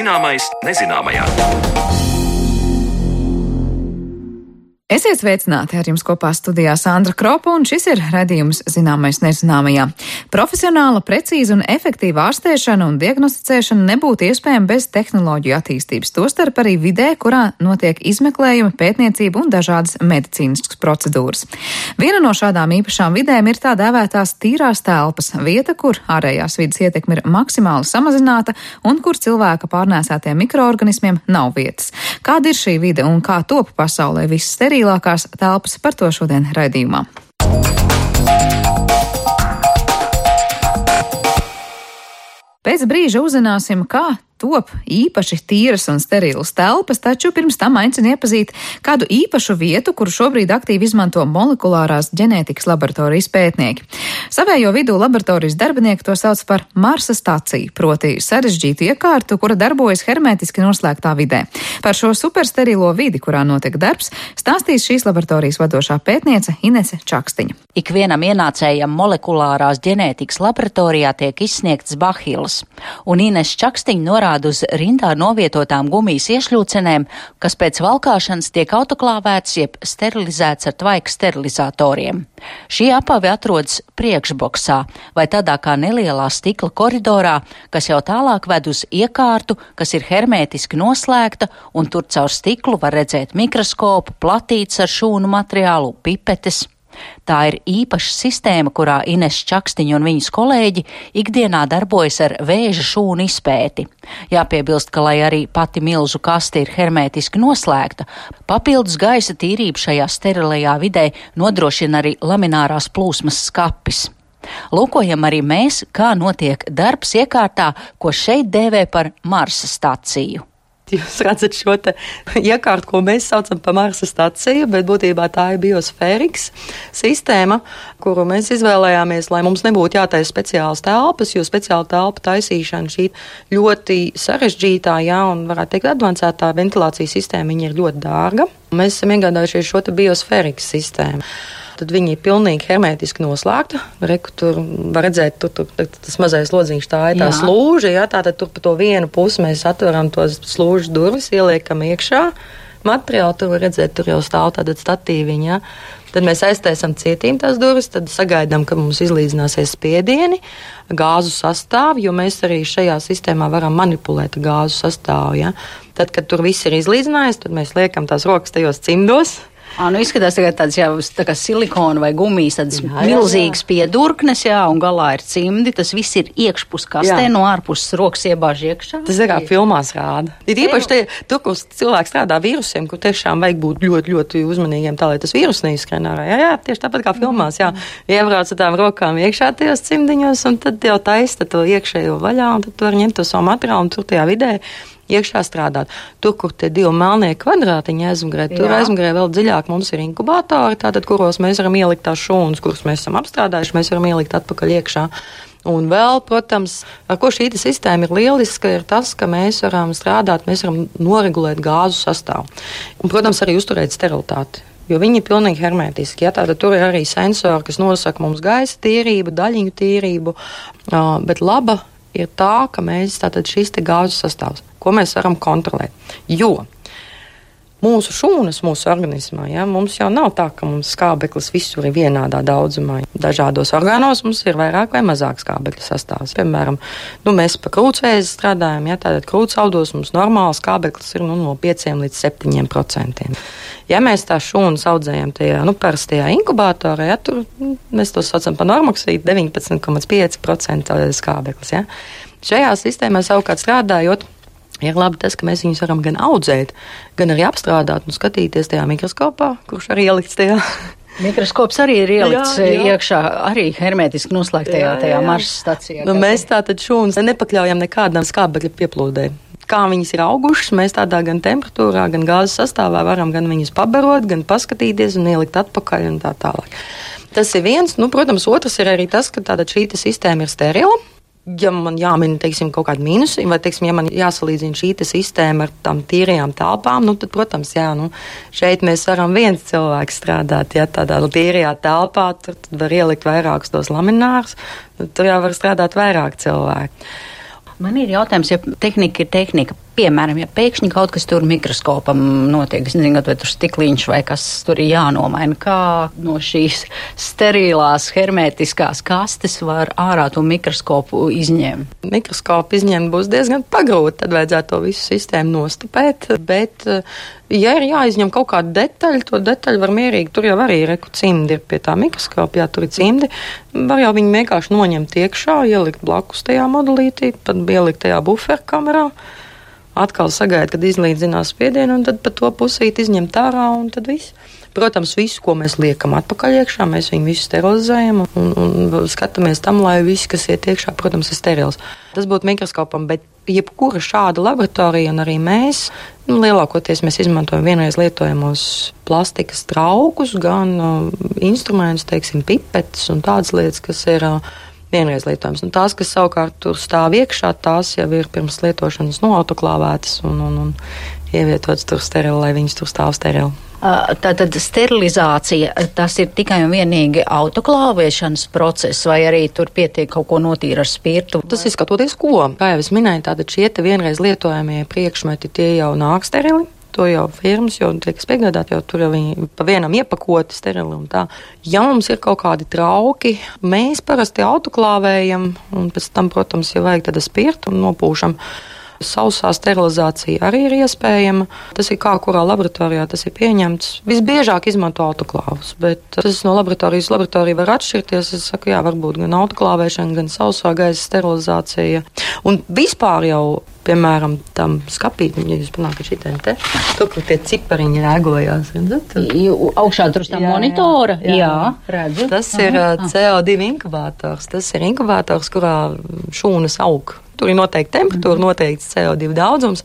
Zināmais nezināmajā. Esiet sveicināti, ar jums kopā studijā Sandra Kropa, un šis ir raidījums Zināmais nezināmajā. Profesionāla, precīza un efektīva ārstēšana un diagnosticēšana nebūtu iespējama bez tehnoloģiju attīstības, tostarp arī vidē, kurā notiek izmeklējumi, pētniecība un dažādas medicīniskas procedūras. Viena no šādām īpašām vidēm ir tā dēvētās tīrās telpas, vieta, kur ārējās vides ietekme ir maksimāli samazināta un kur cilvēka pārnēsātiem mikroorganismiem nav vietas. Kāda ir šī vide un kā top pasaulē viss sterilākās telpas, par to šodien raidījumā. Pēc brīža uzzināsim, kā top īpaši tīras un sterilas telpas, taču pirms tam aicinu iepazīt kādu īpašu vietu, kuru šobrīd aktīvi izmanto molekulārās ģenētikas laboratorijas pētnieki. Savējo vidū laboratorijas darbinieki to sauc par Marsa staciju, proti sarežģītu iekārtu, kura darbojas hermētiski noslēgtā vidē. Par šo supersterilo vidi, kurā notiek darbs, stāstīs šīs laboratorijas vadošā pētniece Inese Čakstiņa. Ikvienam ienācējam molekulārās ģenētikas laboratorijā tiek izsniegts bahilas, un Inese Čakstiņa norāda uz rindā novietotām gumijas iešļūcenēm, kas pēc valkāšanas tiek autoklāvēts jeb sterilizēts ar tvaika sterilizatoriem. Šī apave atrodas priekšboksā vai tādā kā nelielā stikla koridorā, kas jau tālāk ved uz iekārtu, kas ir hermētiski noslēgta, un tur caur stiklu var redzēt mikroskopu, platītes ar šūnu materiālu, pipetes. Tā ir īpaša sistēma, kurā Inese Čakstiņa un viņas kolēģi ikdienā darbojas ar vēža šūnu izpēti. Jāpiebilst, ka, lai arī pati milzu kaste ir hermētiski noslēgta, papildus gaisa tīrību šajā sterilajā vidē nodrošina arī laminārās plūsmas skapis. Lūkojam arī mēs, kā notiek darbs iekārtā, ko šeit dēvē par Marsa staciju. Jūs redzat šo te iekārtu, ko mēs saucam par Marsa staciju, bet būtībā tā ir biosfēriks sistēma, kuru mēs izvēlējāmies, lai mums nebūtu jātaisa speciālas telpas, jo speciāla telpa taisīšana šī ļoti sarežģītā, un varētu teikt advancētā ventilācijas sistēma, viņa ir ļoti dārga. Mēs esam iegādājušies šo te biosfēriks sistēmu. Tad viņi ir pilnīgi hermētiski noslēgta. Reku, tur var redzēt, tur tas mazais lodziņš, tā ir tā slūža, tātad tur pa to vienu pusi mēs atveram tos slūžas durvis, ieliekam iekšā materiālu, tur var redzēt, tur jau stāv tātad statīviņa, Tad mēs aiztaisam cietīm tās durvis, tad sagaidām, ka mums izlīdzināsies spiedieni, gāzu sastāvu, jo mēs arī šajā sistēmā varam manipulēt gāzu sastāvu, Tad, kad tur viss ir izlīdzinājies, tad mēs liekam tās rokas tajos cimdos. Izskatās tagad tāds jau tā kā silikona vai gumijas, tādas milzīgas piedurknes, un galā ir cimdi. Tas viss ir iekšpus kastē, no ārpuses rokas iebāž iekšā. Tas ir kā filmās rāda. Ir īpaši tur, kur cilvēks strādā vīrusiem, kur tiešām vajag būt ļoti, ļoti uzmanīgiem tā, lai tas vīrus neizskrien ārā. Tieši tāpat kā filmās, Iebrauc ar tām rokām iekšā tajos cimdiņos, un tad jau taista to iekšējo vaļā, un tad tu vari ņemt to savu materiālu un tur tajā vidē iekšā strādāt. Tur, kur tie divi melnie kvadrātiņi aizmugurē, tur aizmugurē vēl dziļāk mums ir inkubatori, tātad, kuros mēs varam ielikt tās šūnas, kuras mēs esam apstrādājuši, mēs varam ielikt atpakaļ iekšā. Un vēl, protams, ar ko šī sistēma ir lieliska, ir tas, ka mēs varam strādāt, mēs varam noregulēt gāzu sastāvu. Un, protams, arī uzturēt sterilitāti. Jo viņi ir pilnīgi hermētiski. Tātad tur ir arī sensori, kas nosaka mums gaisa tīrību, daļiņu tīrību, bet laba ir tā, ka mēs tātad šis te gāzes sastāvs, ko mēs varam kontrolēt. Jo mūsu šūnas, mūsu organismā, mums jau nav tā, ka mums skābeklis visur ir vienādā daudzumā. Dažādos orgānos mums ir vairāk vai mazāk skābekļa sastāvs. Piemēram, mēs pa krūtsvēzi strādājam, tātad krūtsaudos mums normāli skābeklis ir no 5 līdz 7%. Ja mēs tās šūnas audzējam tajā, parastajā inkubatorā, tur mēs to saucam par normoksīdu, 19,5% skābeklis, Šajā sistēmā savukārt strādājot, ir labi tas, ka mēs viņus varam gan audzēt, gan arī apstrādāt un skatīties tajā mikroskopā, kurš arī ielikts tajā. Mikroskops arī ir ielikts iekšā, arī hermētiski noslēgtajā Marsa stacijā. Mēs tātad šūnas nepakļaujam nekādam skābekļa pieplūdē. Kā viņas ir augušas, mēs tādā gan temperatūrā, gan gāzes sastāvā varam gan viņus pabarot, gan paskatīties un ielikt atpakaļ un tā tālāk. Tas ir viens. Protams, otrs ir arī tas, ka tāda šī sistēma ir sterila. Ja man jāmin, kaut kādi mīnusi, vai, ja man jāsalīdzina šī sistēma ar tām tīrajām telpām, tad, protams, šeit mēs varam viens cilvēks strādāt, tādā tīrajā telpā, tur var ielikt vairākus tos laminārus, tur jau var strādāt vairāk cilvēku. Man ir jautājums, ja tehnika ir tehnika. Piemēram, ja pēkšņi kaut kas tur mikroskopam notiek, es nezinu, vai tur stikliņš vai kas tur ir jānomaina, kā no šīs sterilās, hermētiskās kastes var ārā to mikroskopu izņemt? Mikroskopu izņemt būs diezgan pagrūti, tad vajadzētu to visu sistēmu nostupēt, bet, ja ir jāizņem kaut kāda detaļa, to detaļu var mierīgi, tur jau arī cimdi ir pie tā mikroskopa, jā, tur ir cimdi, var jau viņu vienkārši noņemt iekšā, ielikt blakus tajā modelītī, pat ielikt tajā buferkamerā. Atkal sagaida, kad izlīdzinās spiedienu, un tad pa to pusīt izņemt ārā, un tad viss. Protams, visu, ko mēs liekam atpakaļ iekšā, mēs viņu visu sterilizējam un skatāmies tam, lai viss, kas iet iekšā, protams, ir sterils. Tas būtu mikroskopam, bet jebkura šāda laboratorija, un arī mēs, lielākoties mēs izmantojam vienreiz lietojamos plastikas traukus, gan instrumentus, teiksim, pipetes un tādas lietas, kas ir vienreiz lietojams. Un tās, kas savukārt tur stāv iekšā, tās jau ir pirms lietošanas autoklāvētas un ievietotas tur sterili, lai viņas tur stāv sterili. Tātad sterilizācija, tas ir tikai un vienīgi autoklāvēšanas process, vai arī tur pietiek kaut ko notīra ar spirtu? Tas ir skatoties ko. Kā jau es minēju, tātad šie te vienreiz lietojamie priekšmeti, tie jau nāk sterili. To jau firmas jau tiek piegādāt, jau tur jau viņi pa vienam iepakoti sterili un tā. Ja mums ir kaut kādi trauki, mēs parasti autoklāvējam un pēc tam, protams, ja vajag tāda spirtu un nopūšam. Sausā sterilizācija arī ir iespējama. Tas ir kā kurā laboratorijā tas ir pieņemts. Visbiežāk izmanto autoklāvus, bet tas no laboratorijas laboratorija var atšķirties. Es saku, jā, varbūt gan autoklāvēšana, gan sausā gaisa sterilizācija. Un vispār jau, piemēram, tam skapīt, ja jūs panākat šitien te, tur, kur tie cipariņi rēgojās. Augšā tur tā monitora? Jā, redzu. Tas ir CO2 inkubators. Tas ir inkubators, kurā šūnas aug. Tur ir noteikti temperatūra, noteikts CO2 daudzums,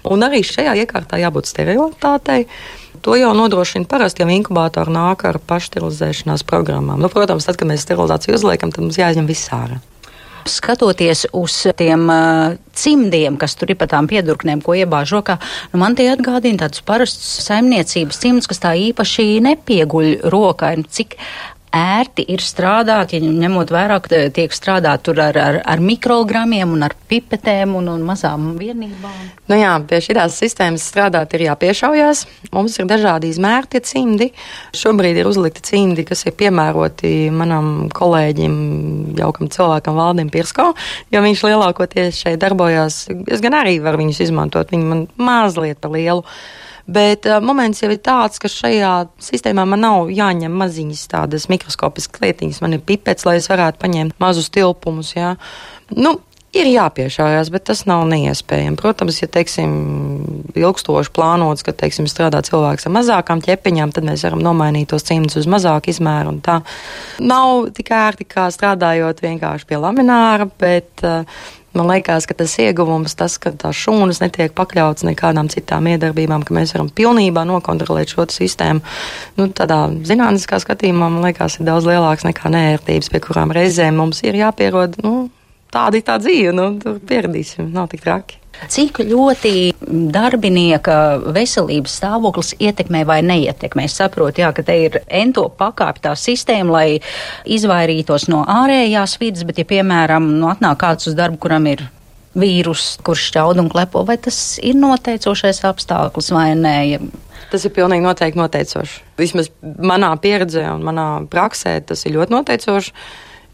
un arī šajā iekārtā jābūt sterilitātei. To jau nodrošina parasti, ja inkubātori nāk ar pašsterilizēšanās programmām. Protams, tad, kad mēs sterilizāciju uzliekam, tad mums jāizņem viss ārā. Skatoties uz tiem cimdiem, kas tur ir pa tām piedurknēm, ko iebāž rokā, man tie atgādina tādus parastus saimniecības cimdus, kas tā īpaši nepieguļ rokai. Cik ērti ir strādāt, ja ņemot vērā, ka tiek strādāt tur ar mikrogramiem un ar pipetēm un mazām vienībām? Nu jā, pie šīs sistēmas strādāt ir jāpiešaujās. Mums ir dažādi izmēri tie cimdi. Šobrīd ir uzlikti cimdi, kas ir piemēroti manam kolēģim, jaukam cilvēkam Valdim Pirsko, jo viņš lielākoties šeit darbojās. Es gan arī varu viņus izmantot, viņi man mazliet par lielu. Bet moments jau ir tāds, ka šajā sistēmā man nav jāņem maziņas tādas mikroskopiskas lietiņas. Man ir pipets, lai es varētu paņemt mazus tilpumus. Jā. Ir jāpiešājās, bet tas nav neiespējami. Protams, ja, teiksim, ilgstoši plānots, ka, teiksim, strādā cilvēks ar mazākām ķepiņām, tad mēs varam nomainīt tos cimdus uz mazāku izmēru un tā. Nav tik ērti, kā strādājot vienkārši pie lamināra, bet man liekas, ka tas ieguvums, tas, ka tās šūnas netiek pakļautas nekādām citām iedarbībām, ka mēs varam pilnībā nokontrolēt šo sistēmu. Tādā zinātniskā skatījumā, man liekas, ir daudz lielāks nekā neērtības, pie kurām reizēm mums ir jāpierod. Tāda ir tā dzīve, tur pieradīsim, nav tik traki. Cik ļoti darbinieka veselības stāvoklis ietekmē vai neietekmē? Es saprotu, jā, ka te ir ento pakāptā sistēma, lai izvairītos no ārējās vidas, bet ja, piemēram, atnāk kāds uz darbu, kuram ir vīrus, kurš šķaud un klepo, vai tas ir noteicošais apstākļus vai nē? Tas ir pilnīgi noteikti noteicoši. Vismaz manā pieredzē un manā praksē tas ir ļoti noteicoši.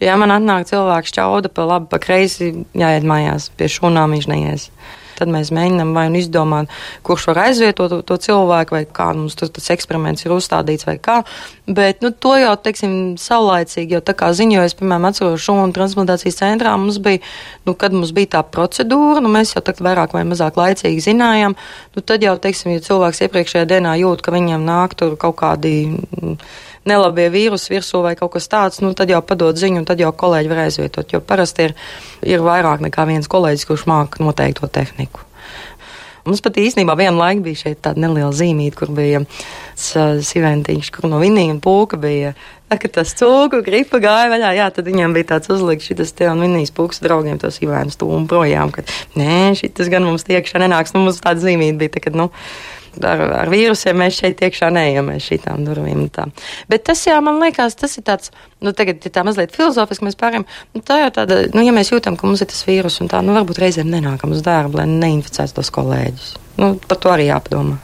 Ja man atnāk cilvēks šķauda pa labi, pa kreisi, jāiet mājās, pie šūnām viņš neies. Tad mēs mēģinām vai nu izdomāt, kurš var aizvietot to cilvēku, vai kā mums tas eksperiments ir uzstādīts, vai kā. Bet to jau, teiksim, saulaicīgi, jau tā kā ziņojas, piemēram, atceros šūnu transplantācijas centrā, mums bija, kad mums bija tā procedūra, mēs jau tagad vairāk vai mazāk laicīgi zinājām, tad jau, teiksim, ja cilvēks iepriekšējā dienā jūt, ka viņam nāk tur kaut kādi nelabie vīrusi virsū vai kaut kas tāds, tad jau padod ziņu un tad jau kolēģi var aizvietot, jo parasti ir vairāk nekā viens kolēģis, kurš māk noteikt to tehniku. Mums pat īstenībā vienu laiku bija šeit tāda neliela zīmīte, kur bija siventiņš, kur no Vinija un Pūka bija, kad tas cūku gripa gāja vaļā, jā, tad viņam bija tāds uzlikts šitas te un Vinijas Pūkas draugiem tos Ivēnu stūmu projām, ka nē, šitas gan mums tiekšā nenāks, mums tāda zīmīte bija, tā, kad, ar vīrusiem mēs šeit iekšā neejam aiz šitām durvīm un tā. Bet tas, jā, man liekas, tas ir tāds, tagad, ja tā mazliet filozofiski mēs pārējām, tā jau tāda, ja mēs jūtam, ka mums ir tas vīrus un tā, varbūt reizēm nenākam uz darbu, lai neinficētu tos kolēģus. Par to arī jāpadomā.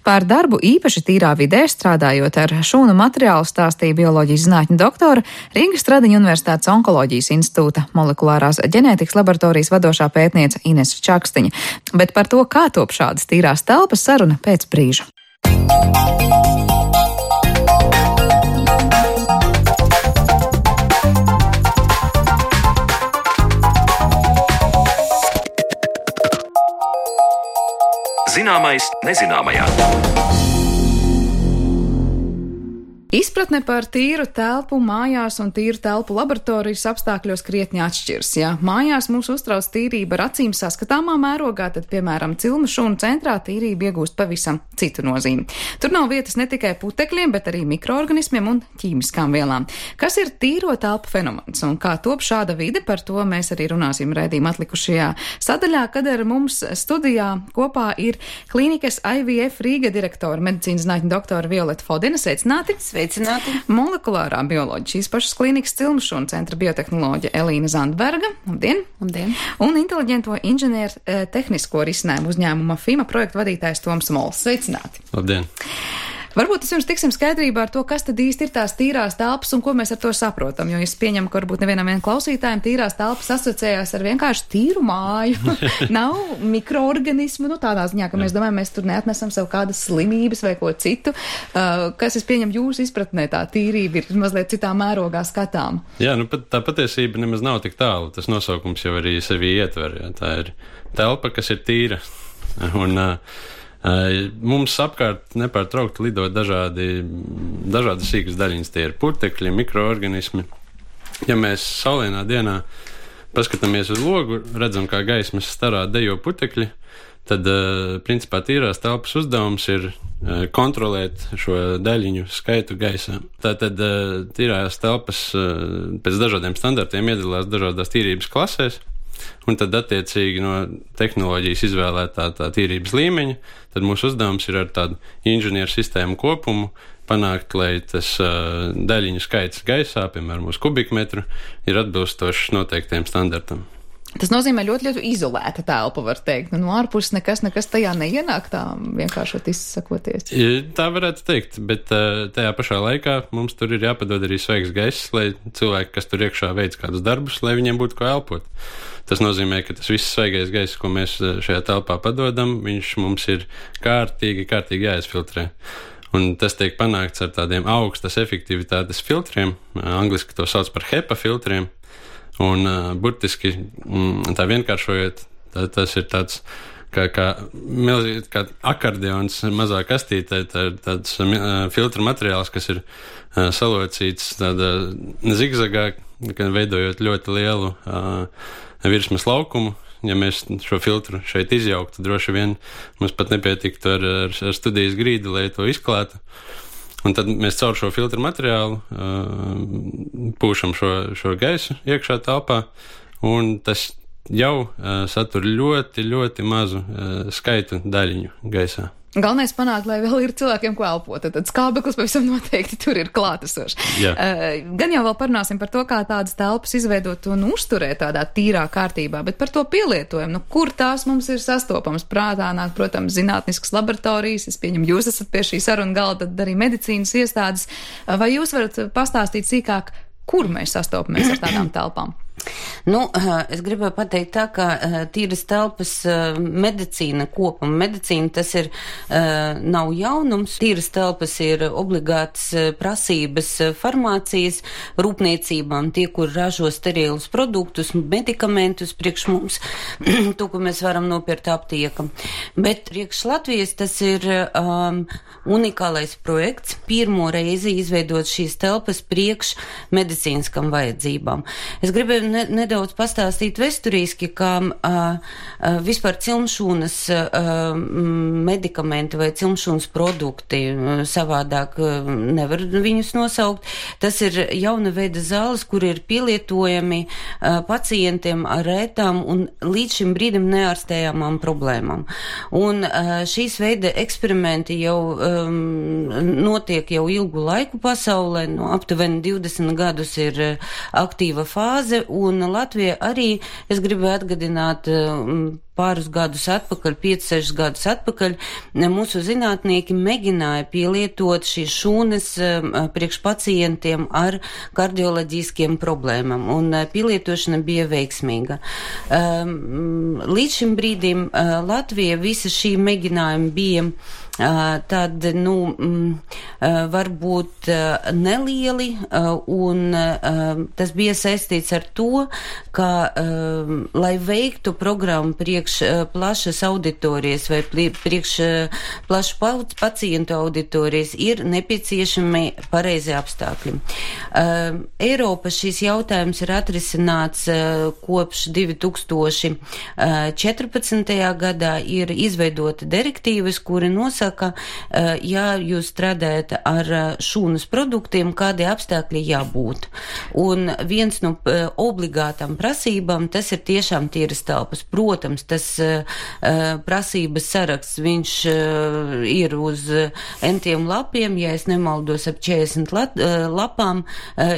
Par darbu īpaši tīrā vidē strādājot ar šūnu materiālu stāstīja bioloģijas zinātņu doktora Rīgas Stradiņu Universitātes Onkoloģijas institūta molekulārās ģenētikas laboratorijas vadošā pētniece Inese Čakstiņa. Bet par to, kā top šādas tīrās telpas, saruna pēc brīža. Zināmais nezināmajā. Izpratne par tīru telpu mājās un tīru telpu laboratorijas apstākļos krietni atšķirs. Ja mājās mūs uztrauc tīrība ar acīm saskatāmā mērogā, tad, piemēram, cilmu šūnu centrā tīrība iegūst pavisam citu nozīmi. Tur nav vietas ne tikai putekļiem, bet arī mikroorganismiem un ķīmiskām vielām. Kas ir tīro telpu fenomens un kā top šāda vide, par to mēs arī runāsim raidījuma atlikušajā sadaļā, kad ar mums studijā kopā ir klīnikas IVF Rīga direktora, medicīnas zinātņu doktora Violeta Fodina. Sveicināti! Molekulārā bioloģija šīs pašas klīnikas cilmu šūnu centra biotehnoloģija Elīna Zandberga. Labdien! Labdien! Un inteliģento inženieru tehnisko risinājumu uzņēmuma FIMA projektu vadītājs Toms Mols. Sveicināti! Labdien! Varbūt vispirms tiksim skaidrībā ar to, kas tad īsti ir tās tīrās telpas un ko mēs ar to saprotam, jo es pieņemu, ka varbūt nevienam klausītājiem tīrās telpas asociējās ar vienkārši tīru māju. Nav mikroorganismu, tādā ziņā, ka mēs domājam, mēs tur neatnesam sev kādas slimības vai ko citu, kas, es pieņemu, jūsu izpratnē tā tīrība ir mazliet citā mērogā skatām. Jā, tā patiesība nemaz nav tik tālu, tas nosaukums jau arī sevi ietver, jā. Tā ir telpa, kas ir tīra. Un, mums apkārt nepārtraukti lido dažādas sīkas daļiņas, tie ir putekļi, mikroorganismi. Ja mēs saulainā dienā paskatāmies uz logu, redzam, kā gaismas starā dejo putekļi, tad, principā, tīrās telpas uzdevums ir kontrolēt šo daļiņu skaitu gaisā. Tātad tīrās telpas pēc dažādiem standartiem iedalās dažādās tīrības klasēs. Un tad, attiecīgi, no tehnoloģijas izvēlētā tā tīrības līmeņa, tad mūsu uzdevums ir ar tādu inženieru sistēmu kopumu panākt, lai tas daļiņu skaits gaisā, piemēram, uz kubikmetru, ir atbilstošs noteiktiem standartam. Tas nozīmē ļoti izolēta telpa, var teikt. No ārpuses nekas tajā neienāk, tā vienkāršot izsakoties. Tā varētu teikt, bet tajā pašā laikā mums tur ir jāpadod arī svaigs gaiss, lai cilvēki, kas tur iekšā veic kādus darbus, lai viņiem būtu ko elpot. Tas nozīmē, ka tas viss svaigais gaiss, ko mēs šajā telpā padodam, viņš mums ir kārtīgi jāizfiltrē. Un tas tiek panākts ar tādiem augstas efektivitātes filtriem, angliski to sauc par HEPA filtriem. Un burtiski tā vienkāršojot, tas ir tāds kā akordeons mazā kastītē, tāds filtra materiāls, kas ir salocīts tādā zigzagā, veidojot ļoti lielu virsmas laukumu. Ja mēs šo filtru šeit izjauktu, droši vien mums pat nepietiktu ar studijas grīdu, lai to izklātu. Un tad mēs caur šo filtru materiālu pūšam šo gaisu iekšā telpā, un tas jau satur ļoti mazu skaitu daļiņu gaisā. Galvenais panākt, lai vēl ir cilvēkiem ko elpot, tad skābeklis pavisam noteikti tur ir klātesošs. Gan jau vēl parunāsim par to, kā tādas telpas izveidot un uzturēt tādā tīrā kārtībā, bet par to pielietojumu, kur tās mums ir sastopamas. Prātā nāk, protams, zinātniskas laboratorijas, es pieņemu, jūs esat pie šī saruna galda, tad arī medicīnas iestādes. Vai jūs varat pastāstīt sīkāk, kur mēs sastopamies ar tādām telpām? Es gribēju pateikt tā, ka tīras telpas medicīna kopuma. Medicīna tas ir nav jaunums. Tīras telpas ir obligātas prasības farmācijas rūpniecībām, tie, kur ražo sterilus produktus, medikamentus priekš mums, to, ko mēs varam nopirkt aptiekam. Bet priekš Latvijas tas ir unikālais projekts. Pirmo reizi izveidot šīs telpas priekš medicīniskam vajadzībām. Es gribēju nedaudz pastāstīt vēsturiski, ka vispār cilmšūnas medikamenti vai cilmšūnas produkti savādāk nevar viņus nosaukt. Tas ir jauna veida zāles, kur ir pielietojami pacientiem ar rētām un līdz šim brīdim neārstējamām problēmām. Un šīs veida eksperimenti jau notiek jau ilgu laiku pasaulē, aptuveni 20 gadus ir aktīva fāze, un Latvija arī, es gribu atgādināt, pāris gadus atpakaļ, 5-6 gadus atpakaļ, mūsu zinātnieki mēģināja pielietot šīs šūnas priekš pacientiem ar kardioloģiskiem problēmām, un pielietošana bija veiksmīga. Līdz šim brīdim Latvija visa šī mēģinājuma bija tad, varbūt nelieli, un tas bija saistīts ar to, ka, lai veiktu programmu priekš plašas auditorijas vai priekš plašu pacientu auditorijas, ir nepieciešami pareizi apstākļi. Eiropa šīs jautājums ir atrisināts kopš 2014. gadā, ir izveidota direktīvas, kuri nosaka, ja jūs strādājat ar šūnas produktiem, kādi apstākļi jābūt. Un viens no obligātām prasībām, tas ir tiešām tīras telpas. Protams, tas prasības saraksts, viņš ir uz entiem lapiem, ja es nemaldos ap 40 lapām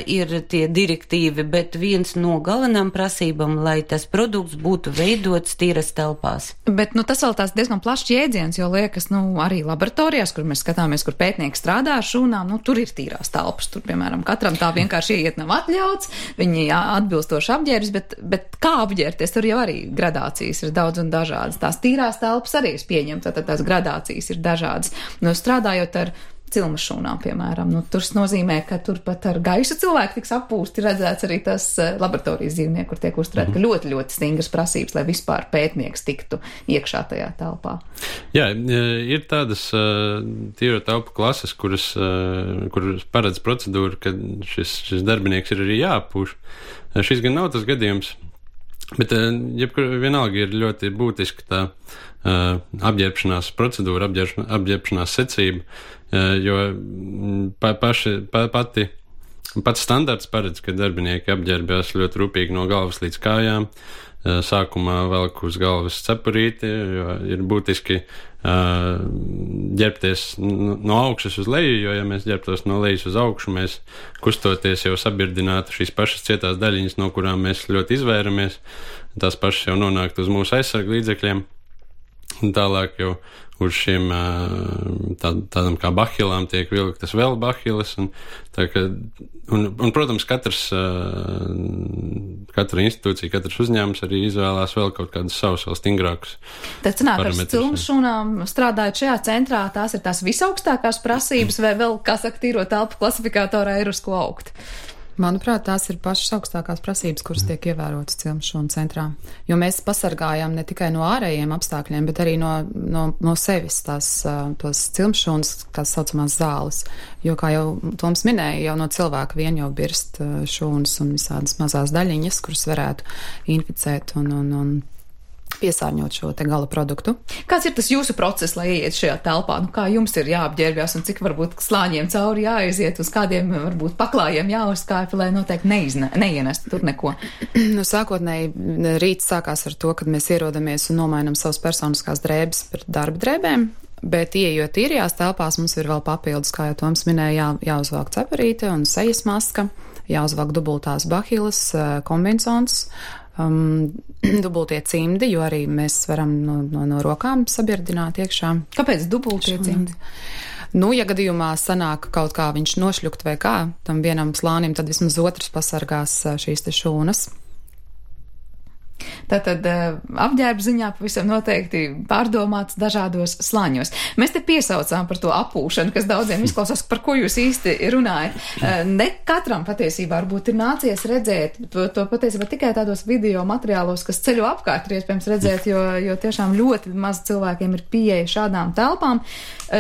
ir tie direktīvi, bet viens no galvenām prasībām, lai tas produkts būtu veidots tīras telpās. Bet, tas vēl tās diezgan plašs jēdziens, jo liekas, arī laboratorijās, kur mēs skatāmies, kur pētnieki strādā ar šūnām, tur ir tīrās telpas. Tur, piemēram, katram tā vienkārši iet nav atļauts, viņi atbilstoši apģērbs, bet kā apģērbties, tur jau arī gradācijas ir daudz un dažādas. Tās tīrās telpas arī ir pieņemtas, tad tās gradācijas ir dažādas. Strādājot ar cilmas šūnām, piemēram, tur nozīmē, ka tur pat ar gaisu cilvēku tiks appūsti, redzēts arī tas laboratorijas dzīvnieki, kur tiek uzturēt, ka ļoti, ļoti stingras prasības, lai vispār pētnieks tiktu iekšā tajā telpā. Jā, ir tādas tīro telpu klases, kuras paredz procedūru, ka šis darbinieks ir arī jāapūš. Šis gan nav tas gadījums, bet vienalga ir ļoti būtiski tā apģērbšanās procedūra, apģērbšanās secība, jo pats standarts paredz, ka darbinieki apģērbjās ļoti rūpīgi no galvas līdz kājām, sākumā velk uz galvas cepurīti, jo ir būtiski ģērbties no augšas uz leju, jo ja mēs ģērbtos no lejas uz augšu, mēs kustoties jau sabirdinātu šīs pašas cietās daļiņas, no kurām mēs ļoti izvēramies, tās pašas jau nonāktu uz mūsu aizsargu līdzekļiem. Un tālāk jau uz šiem tādam kā bahilām tiek vilktas vēl bahilas. Un protams, katra institūcija, katrs uzņēmums arī izvēlās vēl kaut kādus savus vēl stingrākus. Tad sanāk, ar cilmas šūnām strādājot šajā centrā, tās ir tās visaugstākās prasības vai vēl, kā saka, tīro telpu klasifikātorā ir uz ko augt? Manuprāt, tās ir pašas augstākās prasības, kuras tiek ievērotas cilmšūnu centrā. Jo mēs pasargājam ne tikai no ārējiem apstākļiem, bet arī no sevis tos cilmšūnas, tās saucamās zāles. Jo, kā jau Toms minēja, jau no cilvēka vien jau birst šūnas un visādas mazās daļiņas, kuras varētu inficēt un piesārņot šo te gala produktu. Kāds ir tas jūsu process, lai ieiet šajā telpā? Kā jums ir jāapģērbjās un cik varbūt slāņiem cauri jāaiziet, uz kādiem varbūt paklājiem jāuzkāpj, lai noteikti neienest tur neko? Sākotnēji rīts sākās ar to, kad mēs ierodamies un nomainam savas personiskās drēbes par darba drēbēm, bet ieejot tīrajās telpās mums ir vēl papildus, kā jau Toms minēja, jāuzvelk cepurīte un sejas maska, jāuzvelk dubultās bahilas, kombinzons, dubultie cimdi, jo arī mēs varam no rokām sabirdināt iekšā. Kāpēc dubultie cimdi? Ja gadījumā sanāk kaut kā viņš nošļukt vai kā, tam vienam slānim, tad vismaz otrs pasargās šīs te šūnas. Tātad apģērba ziņā pavisam noteikti pārdomāts dažādos slāņos. Mēs te piesaucām par to apūšanu, kas daudziem izklausās, par ko jūs īsti runājat. Ne katram patiesībā varbūt ir nācies redzēt to patiesībā tikai tādos video materiālos, kas ceļo apkārt ir iespējams redzēt, jo tiešām ļoti maz cilvēkiem ir pieeja šādām telpām.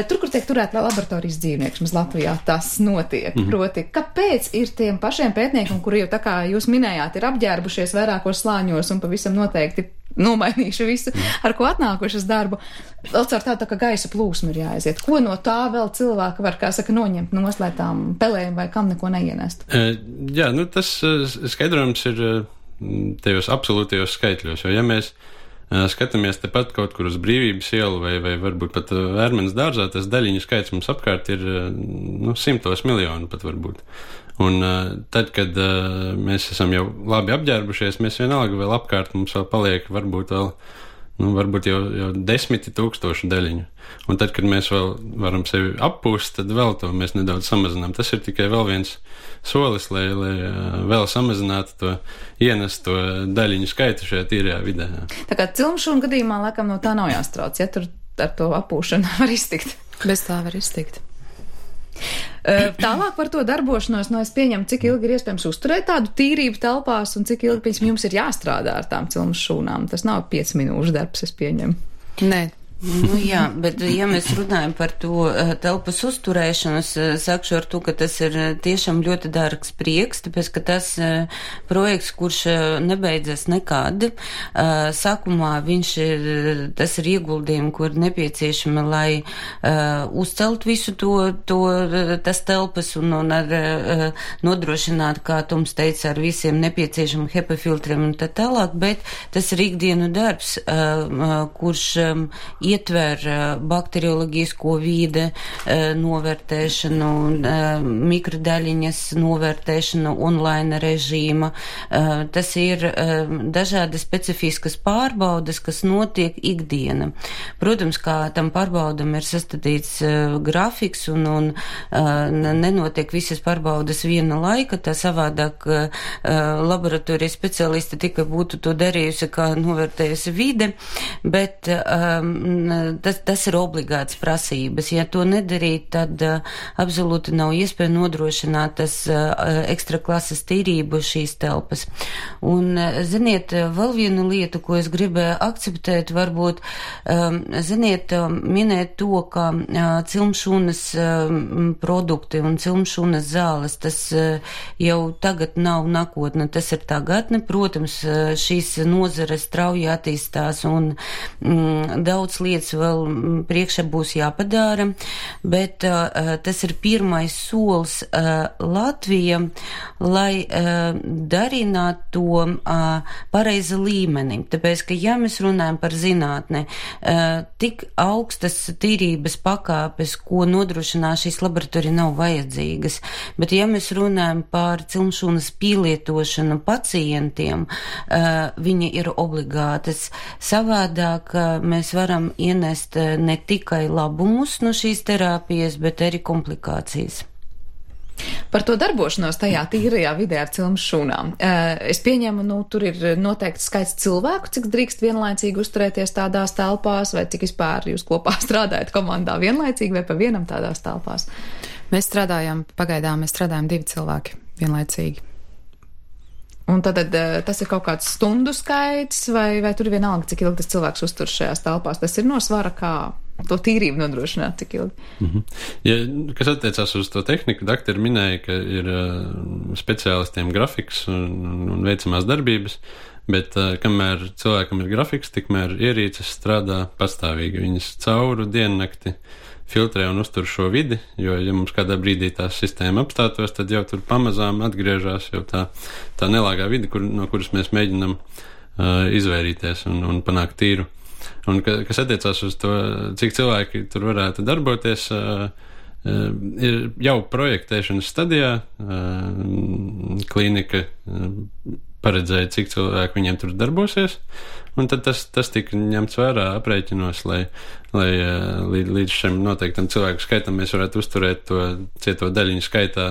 Tur, kur tiek turēt laboratorijas dzīvnieks, mums Latvijā tas notiek. Proti, kāpēc ir tiem pašiem pētniekiem, kuri jau tā kā jūs minējāt, ir apģērbušies vairākos slāņos un pavisam noteikti nomainījuši visu, ar ko atnākuši uz darbu. Vēl caur tā kā gaisa plūsma ir jāaiziet. Ko no tā vēl cilvēki var, kā saka, noņemt no slētām pelēm vai kam neko neienest? Jā, tas skaidrojums ir tajos absolūtajos skaitļos, jo ja mēs skatāmies tepat kaut kur uz Brīvības ielu vai varbūt pat Vērmenes dārzā, tas daļiņu skaits mums apkārt ir 100 miljonu pat varbūt. Un tad, kad mēs esam jau labi apģērbušies, mēs vienalga vēl apkārt mums vēl paliek varbūt jau 10 000 daļiņu. Un tad, kad mēs vēl varam sevi appūst, tad vēl to mēs nedaudz samazinām. Tas ir tikai vēl viens solis, lai vēl samazinātu to ienesto daļiņu skaitu šajā tīrajā vidē. Tā kā cilmšūnu gadījumā laikam no tā nav jāstrauc, ja tur ar to appūšanu var iztikt. Bez tā var iztikt. Tālāk par to darbošanos, es pieņemu, cik ilgi ir iespējams uzturēt tādu tīrību telpās un cik ilgi jums ir jāstrādā ar tām cilmes šūnām. Tas nav 5 minūšu darbs, es pieņemu. Nē. Jā, bet ja mēs runājam par to telpas uzturēšanu, es sakšu ar to, ka tas ir tiešām ļoti dārgs prieks, tāpēc, ka tas projekts, kurš nebeidzas nekad, sākumā tas ir ieguldījumi, kur nepieciešami, lai uzcelt visu tas telpas un ar nodrošināt, kā Toms teica, ar visiem nepieciešamiem HEPA filtriem un tā tālāk, bet tas ir ikdienu darbs, kurš ietver bakterioloģisko vīde novērtēšanu, mikrodaļiņas novērtēšanu, online režīma. Tas ir dažādi specifiskas pārbaudes, kas notiek ikdiena. Protams, kā tam pārbaudam ir sastādīts grafiks un nenotiek visas pārbaudes viena laika, tā savādāk laboratorijas speciālisti tikai būtu to darījusi, kā novērtējusi vide, bet tas ir obligāts prasības. Ja to nedarīt, tad absolūti nav iespēja nodrošināt tas ekstra klases tīrību šīs telpas. Un, ziniet, vēl viena lieta, ko es gribēju akceptēt, varbūt, minēt to, ka cilmšūnas produkti un cilmšūnas zāles, tas jau tagad nav nākotne, tas ir tagadne. Protams, šīs nozares strauji attīstās un daudz lietas vēl priekšā būs jāpadara, bet tas ir pirmais solis Latvija, lai darinātu to pareiza līmeni. Tāpēc, ka ja mēs runājam par zinātni, tik augstas tīrības pakāpes, ko nodrošinās šīs laboratorija, nav vajadzīgas. Bet ja mēs runājam par cilmšūnas pielietošanu pacientiem, viņi ir obligātas. Savādāk mēs varam ienest ne tikai labumus no šīs terapijas, bet arī komplikācijas. Par to darbošanos tajā tīrajā vidē ar cilmes šūnām. Es pieņemu, tur ir noteikts skaits cilvēku, cik drīkst vienlaicīgi uzturēties tādās telpās, vai cik vispār jūs kopā strādājat komandā vienlaicīgi vai pa vienam tādās telpās? Pagaidām mēs strādājam 2 cilvēki vienlaicīgi. Un tad tas ir kaut kāds stundu skaits, vai tur ir vienalga, cik ilgi tas cilvēks uztur šajās telpās? Tas ir no svara, kā to tīrību nodrošināt, cik ilgi? Ja, kas attiecās uz to tehniku, doktori minēja, ka ir speciālistiem grafiks un veicamās darbības, bet kamēr cilvēkam ir grafiks, tikmēr ierīces strādā pastāvīgi. Viņas cauru diennakti filtrē un uztur šo vidi, jo, ja mums kādā brīdī tā sistēma apstātos, tad jau tur pamazām atgriežās jau tā nelāgā vidi, no kuras mēs mēģinam izvairīties un panākt tīru. Un kas attiecās uz to, cik cilvēki tur varētu darboties, ir jau projektēšanas stadijā, klīnika paredzēja, cik cilvēku viņiem tur darbosies, un tad tas tika ņemts vērā aprēķinos, lai līdz šim noteiktam cilvēku skaitam mēs varētu uzturēt to cieto daļiņu skaitā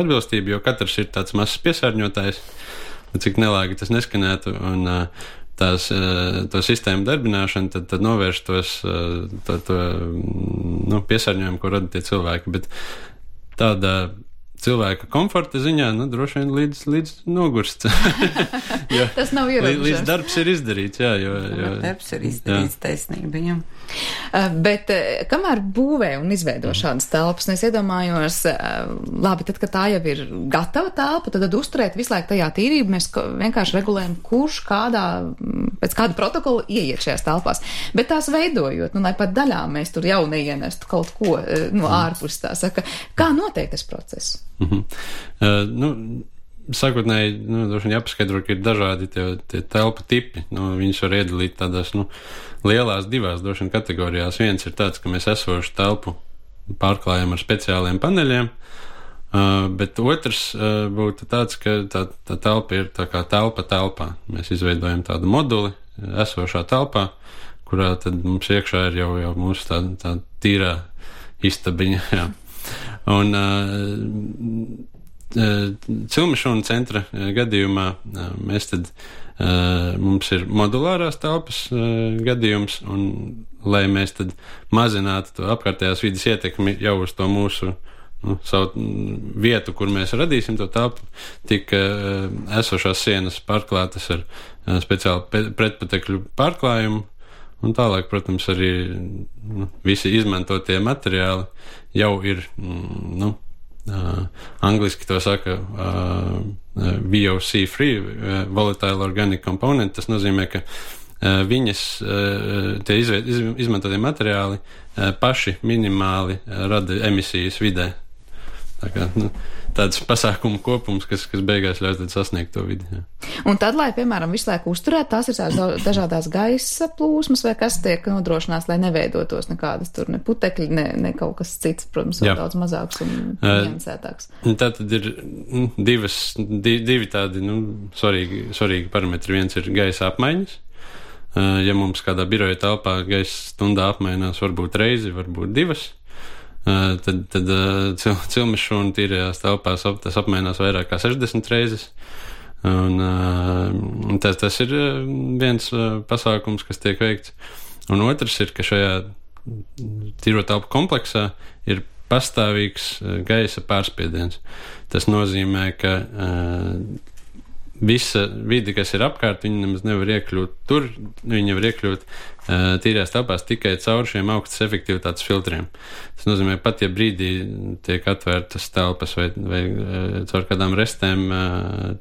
atbilstību, jo katrs ir tāds mazs piesārņotājs, cik nelāgi tas neskanētu, un to sistēmu darbināšanu, tad novērš to piesārņojumu, ko rada tie cilvēki. Bet tāda cilvēka komforta ziņā, droši vien līdz nogurst. Tas nav ierobežots. Līdz darbs ir izdarīts, jā. Darbs ir izdarīts, taisnība, jā. Bet kamēr būvē un izveido šādas telpas, es iedomājos, labi, tad, kad tā jau ir gatava telpa, tad uzturēt visu laiku tajā tīrību, mēs vienkārši regulējam, kurš pēc kāda protokola ieiet šajās telpās. Bet tās veidojot, lai pat daļā mēs tur jau neienestu kaut ko no ārpus tā saka, kā notiek tas process? Sākotnēji, droši vien jāpaskaidro, ka ir dažādi tie telpu tipi. Viņus var iedalīt tādās, lielās divās droši vien kategorijās. Viens ir tāds, ka mēs esošu telpu pārklājam ar speciāliem paneļiem, bet otrs būtu tāds, ka tā telpa ir tā kā telpa telpā. Mēs izveidojam tādu moduli esošā telpā, kurā tad mums iekšā ir jau mūsu tā tīrā istabiņa, jā. Un Cilmešūna centra gadījumā mums ir modulārās telpas gadījums, un lai mēs tad mazinātu to apkārtējās vidas ietekmi jau uz to mūsu savu vietu, kur mēs radīsim to telpu, tik esošās sienas pārklātas ar speciālu pretpatekļu pārklājumu. Un tālāk, protams, arī visi izmantotie materiāli jau ir, angliski to saka VOC free, volatile organic component. Tas nozīmē, ka tie izmantotie materiāli paši minimāli rada emisijas vidē. Tā kā, tāds pasākumu kopums, kas beigās ļaus tad sasniegt to vidi. Jā. Un tad, lai, piemēram, visu laiku uzturētu, tās ir dažādās gaisa plūsmas, vai kas tiek nodrošināts, lai neveidotos nekādas tur ne putekļi, ne kaut kas cits, protams, vēl daudz mazāks un niansētāks. Tā tad ir divi tādi, svarīgi parametri. Viens ir gaisa apmaiņas. Ja mums kādā biroja telpā gaisa stundā apmainās varbūt reizi, varbūt divas, tad Cilmešūna tīrajās telpās tas apmainās vairāk kā 60 reizes. Un tas ir viens pasākums, kas tiek veikts. Un otrs ir, ka šajā tīro telpu kompleksā ir pastāvīgs gaisa pārspiediens. Tas nozīmē, ka visa vide, kas ir apkārt, viņi nemaz nevar iekļūt tur, viņi var iekļūt tīrās telpās tikai caur šiem augstas efektivitātes filtriem. Tas nozīmē, pat ja brīdī tiek atvērtas telpas vai caur kādām restēm,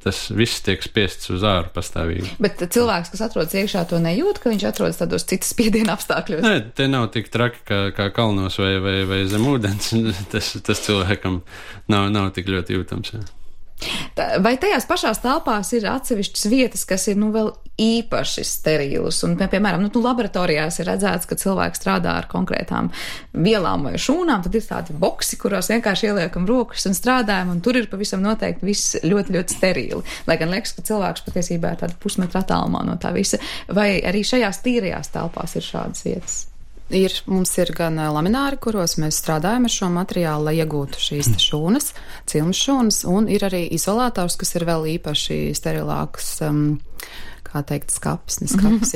tas viss tiek spiests uz āru pastāvīgi. Bet cilvēks, kas atrodas iekšā, to nejūt, ka viņš atrodas tādos citas spiediena apstākļos? Nē, te nav tik traki kā kalnos vai zem ūdens. Tas cilvēkam nav tik ļoti jūtams, jā. Vai tajās pašās telpās ir atsevišķas vietas, kas ir vēl īpaši sterīlas? Un, piemēram, laboratorijās ir redzēts, ka cilvēki strādā ar konkrētām vielām vai šūnām, tad ir tādi boksi, kurās vienkārši ieliekam rokas un strādājam, un tur ir pavisam noteikti viss ļoti, ļoti sterīli. Lai gan liekas, ka cilvēks patiesībā ir tāda pusmetra attālumā no tā visa. Vai arī šajās tīrajās telpās ir šādas vietas? Mums ir gan lamināri, kuros mēs strādājam ar šo materiālu, lai iegūtu šīs šūnas, cilmšūnas, un ir arī izolators, kas ir vēl īpaši sterilāks, skapis,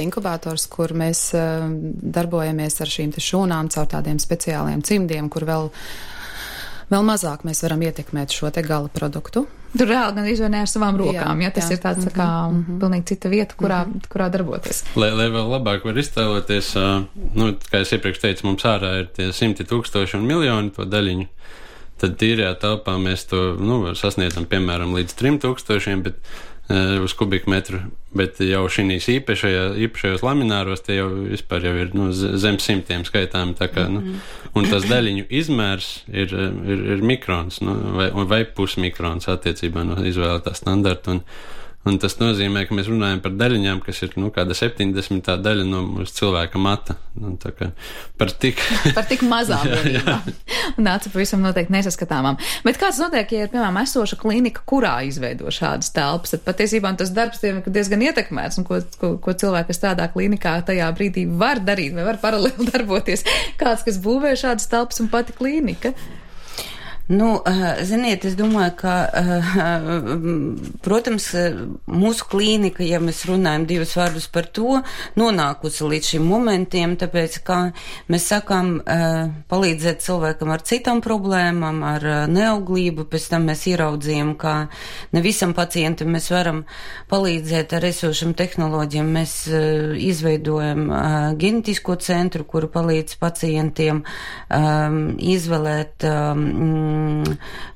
inkubators, kur mēs darbojamies ar šīm šūnām caur tādiem speciāliem cimdiem, kur vēl mazāk mēs varam ietekmēt šo te gala produktu. Tur reāli gan izvēnē ar savām rokām, ja tas ir tāds kā pilnīgi cita vieta, kurā darboties. Lai vēl labāk var iztēloties, kā es iepriekš teicu, mums ārā ir tie 100,000 un miljoni to daļiņu, tad tīrajā telpā mēs to sasniedzam, piemēram, līdz 3,000, bet uz kubikmetru, bet jau šīs īpašajos lamināros tie jau vispār jau ir zem 100 skaitām, tā kā, un tas daļiņu izmērs ir mikrons, vai pusmikrons attiecībā no izvēlētā standarta, un tas nozīmē, ka mēs runājam par daļiņām, kas ir, kāda 70. daļa no mūsu cilvēka mata, tā kā par tik mazām vienībām. Nāca pavisam noteikti nesaskatāmām. Bet kāds notiek, ja ir, piemēram, esoša klinika, kurā izveido šādas telpas, tad patiesībā tas darbs ir diezgan ietekmēts, un ko cilvēki, kas strādā klinikā, tajā brīdī var darīt, vai var paralēli darboties kāds, kas būvē šādas telpas un pati klinika? Nu, ziniet, es domāju, ka, protams, mūsu klīnika, ja mēs runājam divus vārdus par to, nonākusi līdz šim momentiem, tāpēc, kā mēs sakām, palīdzēt cilvēkam ar citām problēmām, ar neauglību, pēc tam mēs ieraudzījām, ka ne visam pacientam mēs varam palīdzēt ar esošam tehnoloģiem. Mēs izveidojam genetisko centru, kuru palīdz pacientiem izvēlēt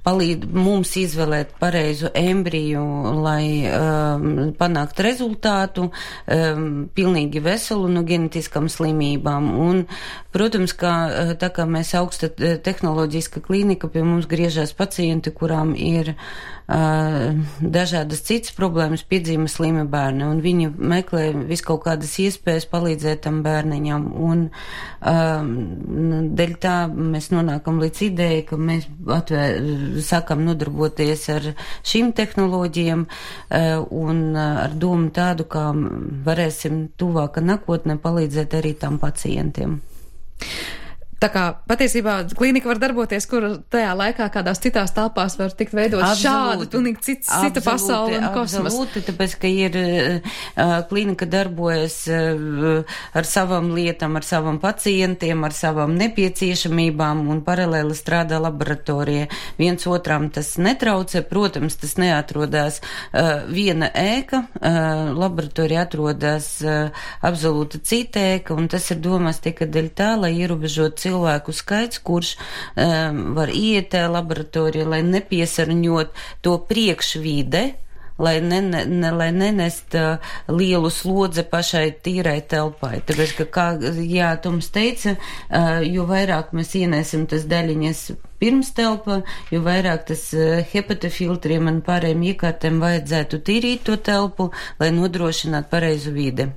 palīdz mums izvēlēt pareizu embriju, lai panākt rezultātu, pilnīgi veselu no genetiskām slimībām. Un, protams, ka tā kā mēs augsta tehnoloģiska klīnika, pie mums griežās pacienti, kurām ir dažādas citas problēmas, piedzīme slimi bērni, un viņi meklē viskaut kādas iespējas palīdzēt tam bērniņam, un dēļ tā mēs nonākam līdz idejai, ka mēs sākam nodarboties ar šīm tehnoloģijām un ar domu tādu, kā varēsim tuvāka nākotnē palīdzēt arī tam pacientiem. Tā kā patiesībā klīnika var darboties, kur tajā laikā kādās citās telpās var tikt veidot šādu, pilnīgi cita pasauli un kosmos. Absolūti, tāpēc, ka ir klīnika darbojas ar savām lietām, ar savām pacientiem, ar savām nepieciešamībām un paralēli strādā laboratorija. Viens otram tas netraucē, protams, tas neatrodās viena ēka, laboratorija atrodas absolūti cita ēka, un tas ir domās tikai dēļ tā, lai ierobežot cilvēku skaits, kurš var iet tajā laboratorijā, lai nepiesarņot to priekšvide, lai nenest lielu slodzi pašai tīrai telpai. Tāpēc, ka, kā Toms teica, jo vairāk mēs ienēsim tas daļiņas pirms telpa, jo vairāk tas hepatofiltriem un pārējiem iekārtēm vajadzētu tīrīt to telpu, lai nodrošinātu pareizu vidi.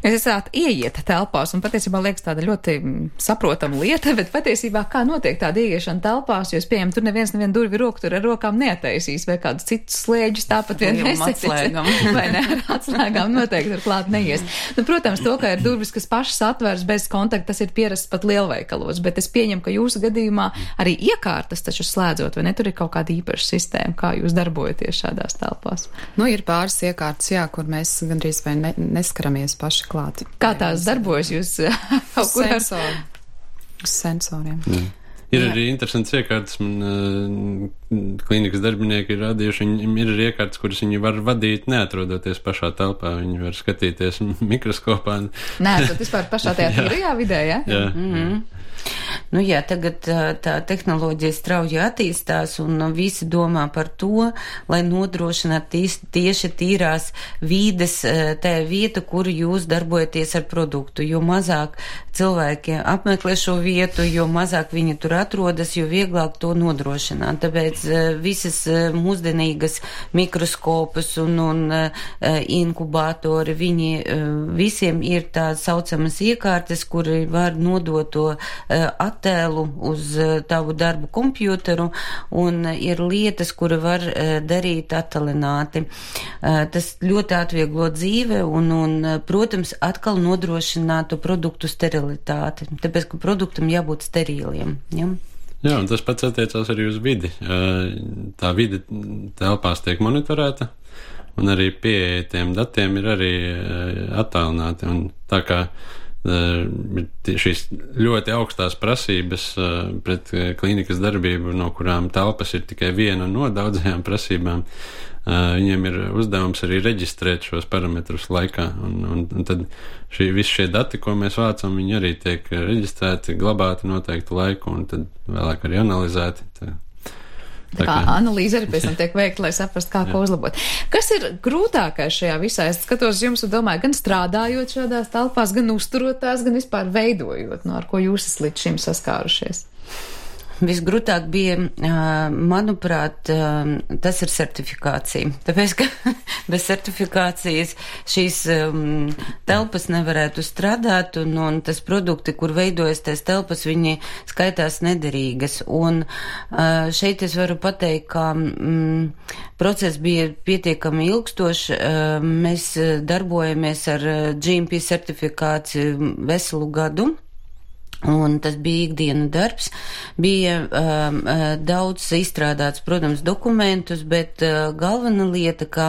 Jūs esat ieiet telpās, un patiesībā liekas tāda ļoti saprotama lieta, bet patiesībā kā notiek tāda ieiešana telpās, jo es pieņemu, tur nevienu durvi roku tur ar rokām neataisīs, vai kādus citus slēģus tāpat vien atslēgam. Vai ne, ar atslēgām noteikti tur klāt neies. Nu, protams, to, ka ir durvis, kas pašas atvērs bez kontakta, tas ir pierasts pat lielveikalos, bet es pieņemu, ka jūsu gadījumā arī iekārtas taču slēdzot, vai ne, tur ir kaut kāda īpaša sistēma, kā jūs darbojaties šādās telpās? Nu, ir pāris iekārtas, jā, kur mēs gandrīz vai neskaramies paši klāt. Kā tās darbojas jūs kaut kur ar sensoriem? Ir arī interesants iekārtas, klīnikas darbinieki ir radījuši, viņiem ir arī iekārtas, kuras viņi var vadīt, neatrodoties pašā telpā, viņi var skatīties mikroskopā. Nē, tad vispār pašā tajā tīrajā vidē, ja? Jā. Mm-hmm. Nu jā, tagad tā tehnoloģija strauji attīstās un visi domā par to, lai nodrošinātu tieši tīrās vīdes tajā vieta, kur jūs darbojaties ar produktu. Jo mazāk cilvēki apmeklē šo vietu, jo mazāk viņi tur atrodas, jo vieglāk to nodrošināt. Tāpēc visas mūsdienīgas mikroskopus un inkubatori, viņi visiem ir tā saucamas iekārtas, kuri var nodot to attēlu uz tavu darbu kompjuteru, un ir lietas, kuri var darīt attālināti. Tas ļoti atvieglo dzīve un, protams, atkal nodrošinātu produktu sterilitāti, tāpēc, ka produktam jābūt steriliem. Ja? Jā, un tas pats attiecās arī uz vidi. Tā vide telpās tiek monitorēta, un arī pieeja tiem datiem ir arī attālināti, un tā kā šīs ļoti augstās prasības pret klīnikas darbību, no kurām telpas ir tikai viena no daudzajām prasībām, viņiem ir uzdevums arī reģistrēt šos parametrus laikā, un tad visi šie dati, ko mēs vācam, viņi arī tiek reģistrēti, glabāti noteiktu laiku, un tad vēlāk arī analizēti. Tā kā analīze arī pēc tam tiek veikta, lai saprastu, kā ko uzlabot. Kas ir grūtākais šajā visā? Es skatos jums un domāju, gan strādājot šādās telpās, gan uzturot tās, gan vispār veidojot, ar ko jūs esat līdz šim saskārušies? Visgrūtāk bija, manuprāt, tas ir certifikācija. Tāpēc, ka bez certifikācijas šīs telpas nevarētu strādāt, un tas produkti, kur veidojas tās telpas, viņi skaitās nederīgas. Un šeit es varu pateikt, ka process bija pietiekami ilgstošs. Mēs darbojamies ar GMP certifikāciju veselu gadu. Un tas bija ikdienu darbs, bija daudz izstrādāts, protams, dokumentus, bet galvena lieta, kā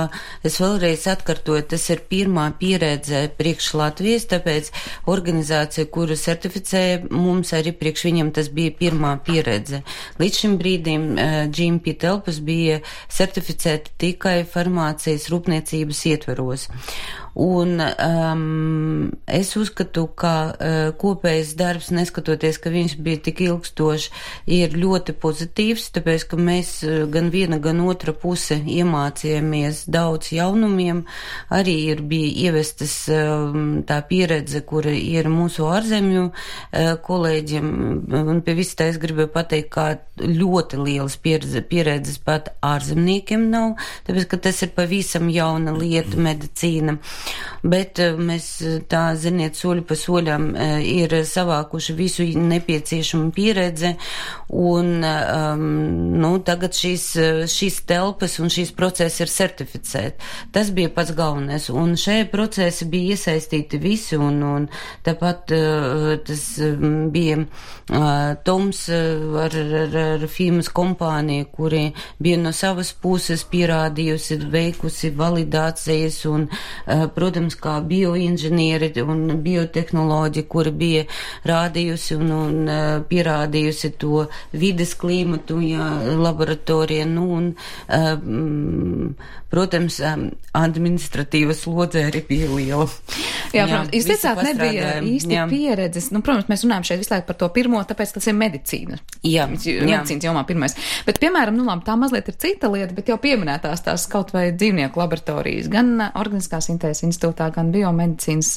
es vēlreiz atkārtoju, tas ir pirmā pieredze priekš Latvijas, tāpēc organizācija, kuru certificēja, mums arī priekš viņam tas bija pirmā pieredze. Līdz šim brīdim GMP telpas bija certificēta tikai farmācijas rūpniecības ietveros. Un es uzskatu, ka kopējs darbs, neskatoties, ka viņš bija tik ilgstošs, ir ļoti pozitīvs, tāpēc, ka mēs gan viena, gan otra puse iemācījāmies daudz jaunumiem, arī bija ievestas tā pieredze, kura ir mūsu ārzemju kolēģiem, un pie visu tā es gribēju pateikt, kā ļoti lielas pieredzes pat ārzemniekiem nav, tāpēc, ka tas ir pavisam jauna lieta medicīna. Bet mēs tā, ziniet, soļu pa soļam ir savākuši visu nepieciešamu pieredzi un, tagad šīs telpas un šīs procesi ir certificēti. Tas bija pats galvenais. Un šajā procesi bija iesaistīti visi un tāpat tas bija Toms ar firmas kompāniju, kuri bija no savas puses pierādījusi, veikusi validācijas un, protams, kā bioinženieri un biotehnoloģi, kuri bija rādījusi un pierādījusi to vides klimatu, laboratorija, protams, administratīva slodze arī bija liela. Jā, protams, jūs teicāt, nebija īsti pieredzes. Protams, mēs runājam šeit visu laiku par to pirmo, tāpēc, ka tas ir medicīna. Medicīnas jomā pirmais. Bet, piemēram, tā mazliet ir cita lieta, bet jau pieminētās tās kaut vai dzīvnieku laboratorijas, gan Organiskās intereses institūtā, gan biomedicīnas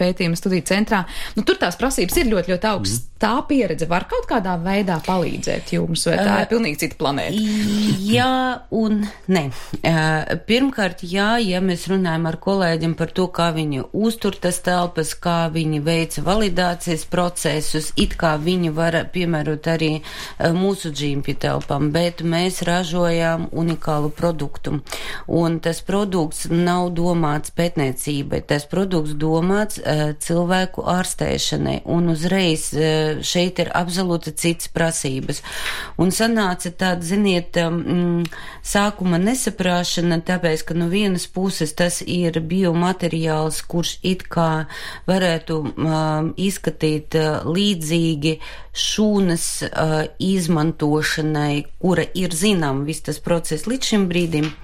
pētījuma studiju centrā. Tur tās prasības ir ļoti, ļoti augstas. Tā pieredze var kaut kādā veidā palīdzēt jums, vai tā ir pilnīgi cita planēta? Jā un nē. Pirmkārt, ja mēs runājam ar kolēģiem par to, kā viņi uztur tas telpas, kā viņi veica validācijas procesus, it kā viņi var piemērot arī mūsu GMP telpām, bet mēs ražojām unikālu produktu. Un tas produkts nav domāts pētniecībai, tas produkts domāts cilvēku ārstēšanai, un uzreiz šeit ir absolūti cits prasības. Un sanāca tāda, ziniet, sākuma nesaprāšana, tāpēc, ka no vienas puses tas ir biomateriāls, kurš it kā varētu izskatīt līdzīgi šūnas izmantošanai, kura ir zinām viss tas process līdz šim brīdim.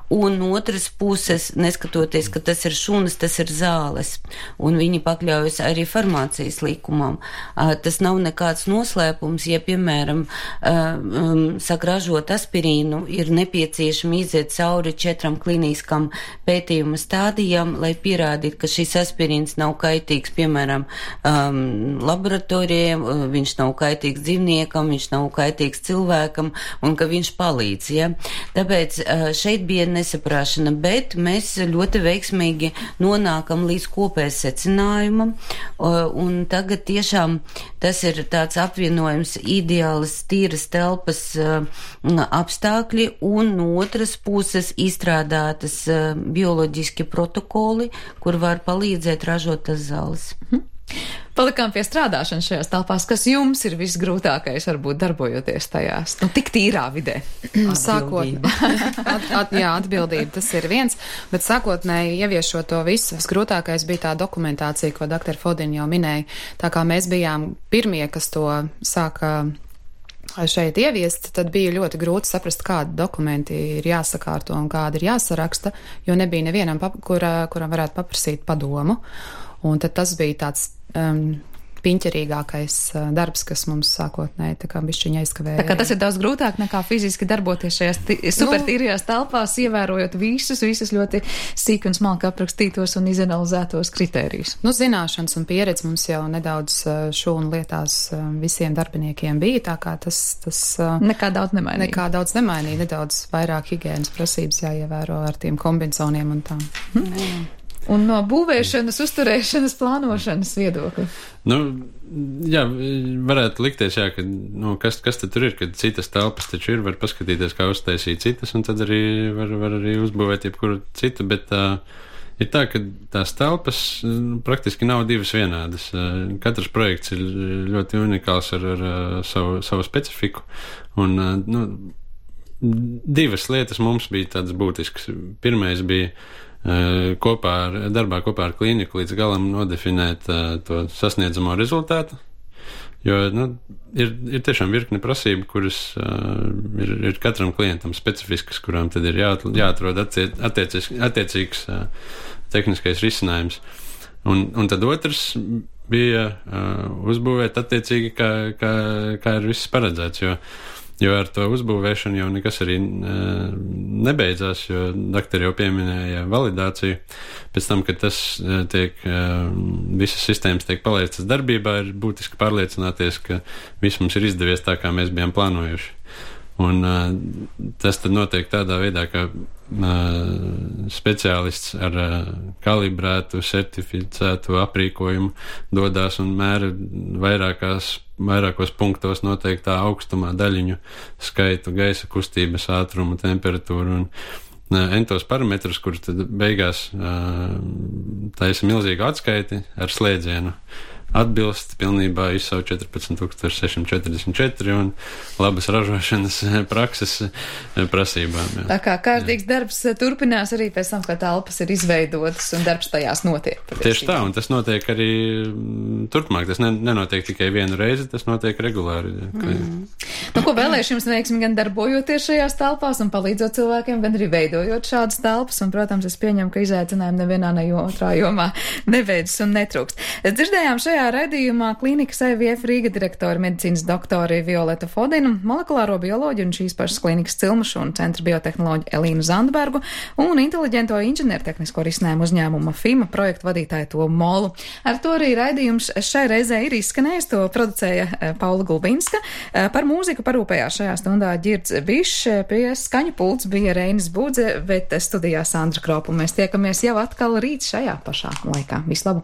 Un otras puses, neskatoties, ka tas ir šūnas, tas ir zāles, un viņi pakļaujas arī farmācijas likumam. Tas nav nekāds noslēpums, ja, piemēram, sagražot aspirīnu, ir nepieciešami iziet cauri 4 kliniskam pētījuma stādijām, lai pierādītu, ka šis aspirīns nav kaitīgs, piemēram, laboratorijiem, viņš nav kaitīgs dzīvniekam, viņš nav kaitīgs cilvēkam, un ka viņš palīdz, ja. Tāpēc šeit bija nesaprāšana, bet mēs ļoti veiksmīgi nonākam līdz kopējas secinājumam, un tagad tiešām tas ir tāds apvienojums ideālas tīras telpas apstākļi, un no otras puses izstrādātas bioloģiski protokoli, kur var palīdzēt ražot tas zāles. Palikām pie strādāšanas šajās telpās. Kas jums ir visgrūtākais, varbūt darbojoties tajās? Tik tīrā vidē. Atbildība, tas ir viens, bet sākotnēji ieviešot to visu, visgrūtākais bija tā dokumentācija, ko dr. Fodina jau minēja. Tā kā mēs bijām pirmie, kas to sāka šeit ieviest, tad bija ļoti grūti saprast, kādi dokumenti ir jāsakārto un kādi ir jāsaraksta, jo nebija nevienam, kuram varētu paprasīt padomu. Un tad tas bija tāds piņķerīgākais darbs, kas mums sākotnēji tā kā bišķiņa aizkavēja. Tā kā tas ir daudz grūtāk nekā fiziski darboties šajās supertīrajās telpās, ievērojot visus ļoti sīk un smalki aprakstītos un izanalizētos kritērijus. Zināšanas un pieredze mums jau nedaudz šūnu lietās visiem darbiniekiem bija, tā kā tas nekā daudz nemainīja. Nedaudz vairāk higienas prasības jāievēro ar tiem kombinzoniem un tām. Un no būvēšanas, uzturēšanas, plānošanas viedokļa? Varētu likties, ka kas tad tur ir, kad citas telpas taču ir, var paskatīties, kā uztaisīt citas, un tad arī var arī uzbūvēt jebkuru citu, bet Ir tā, ka tās telpas praktiski nav divas vienādas. Katrs projekts ir ļoti unikāls ar savu specifiku. Un, divas lietas mums bija tādas būtiskas. Pirmais bija darbā kopā ar klīniku līdz galam nodefinēt to sasniedzamo rezultātu. Jo ir tiešām virkne prasību, kuras ir katram klientam specifiskas, kurām tad ir jāatrod attiecīgs tehniskais risinājums. Un tad otrs bija uzbūvēt attiecīgi, kā ir viss paredzēts, jo ar to uzbūvēšanu jau nekas arī nebeidzās, jo doktori jau pieminēja validāciju. Pēc tam, kad tas visas sistēmas tiek palaistas darbībā, ir būtiski pārliecināties, ka viss mums ir izdevies tā, kā mēs bijām plānojuši. Un tas tad notiek tādā veidā, ka speciālists ar kalibrētu, certificētu aprīkojumu dodās un mēra vairākos punktos noteiktā augstumā daļiņu skaitu, gaisa kustības ātrumu, temperatūru un entos parametrus, kurus tad beigās taisa milzīgu atskaiti ar slēdzienu. Atbilst pilnībā ISO 14644 un labas ražošanas prakses prasībām. Jā. Tā kā kārtīgs darbs turpinās arī pēc tam, kad telpas ir izveidotas un darbs tajās notiek. Tieši tā, un tas notiek arī turpmāk. Tas nenotiek tikai vienu reizi, tas notiek regulāri. Ko vēlēšu jums veiksmi gan darbojoties šajās telpās un palīdzot cilvēkiem, gan arī veidojot šādas telpas, un, protams, es pieņemu, ka izaicinājumi nevienā ne otrā jomā nebeidzas un netrūkst. Dzirdējām šajā raidījumā klīnikas IVF Rīga direktori medicīnas doktori Violeta Fodina, molekulāro bioloģiju un šīs pašas klīnikas cilmušu un centra biotehnoloģiju Elīnu Zandbergu un inteliģento inženiertehnisko risinājumu uzņēmuma FIMA projektu vadītāju Tomu Molu. Ar to arī raidījums šai reizē ir izskanējis, to producēja Paula Gulbinska. Par mūziku parūpējās šajā stundā Ģirds Bišs, pie skaņu pults bija Reinis Budze, bet studijā Sandra Kropa. Mēs tiekamies jau atkal rīt šajā pašā laikā. Vislabāk!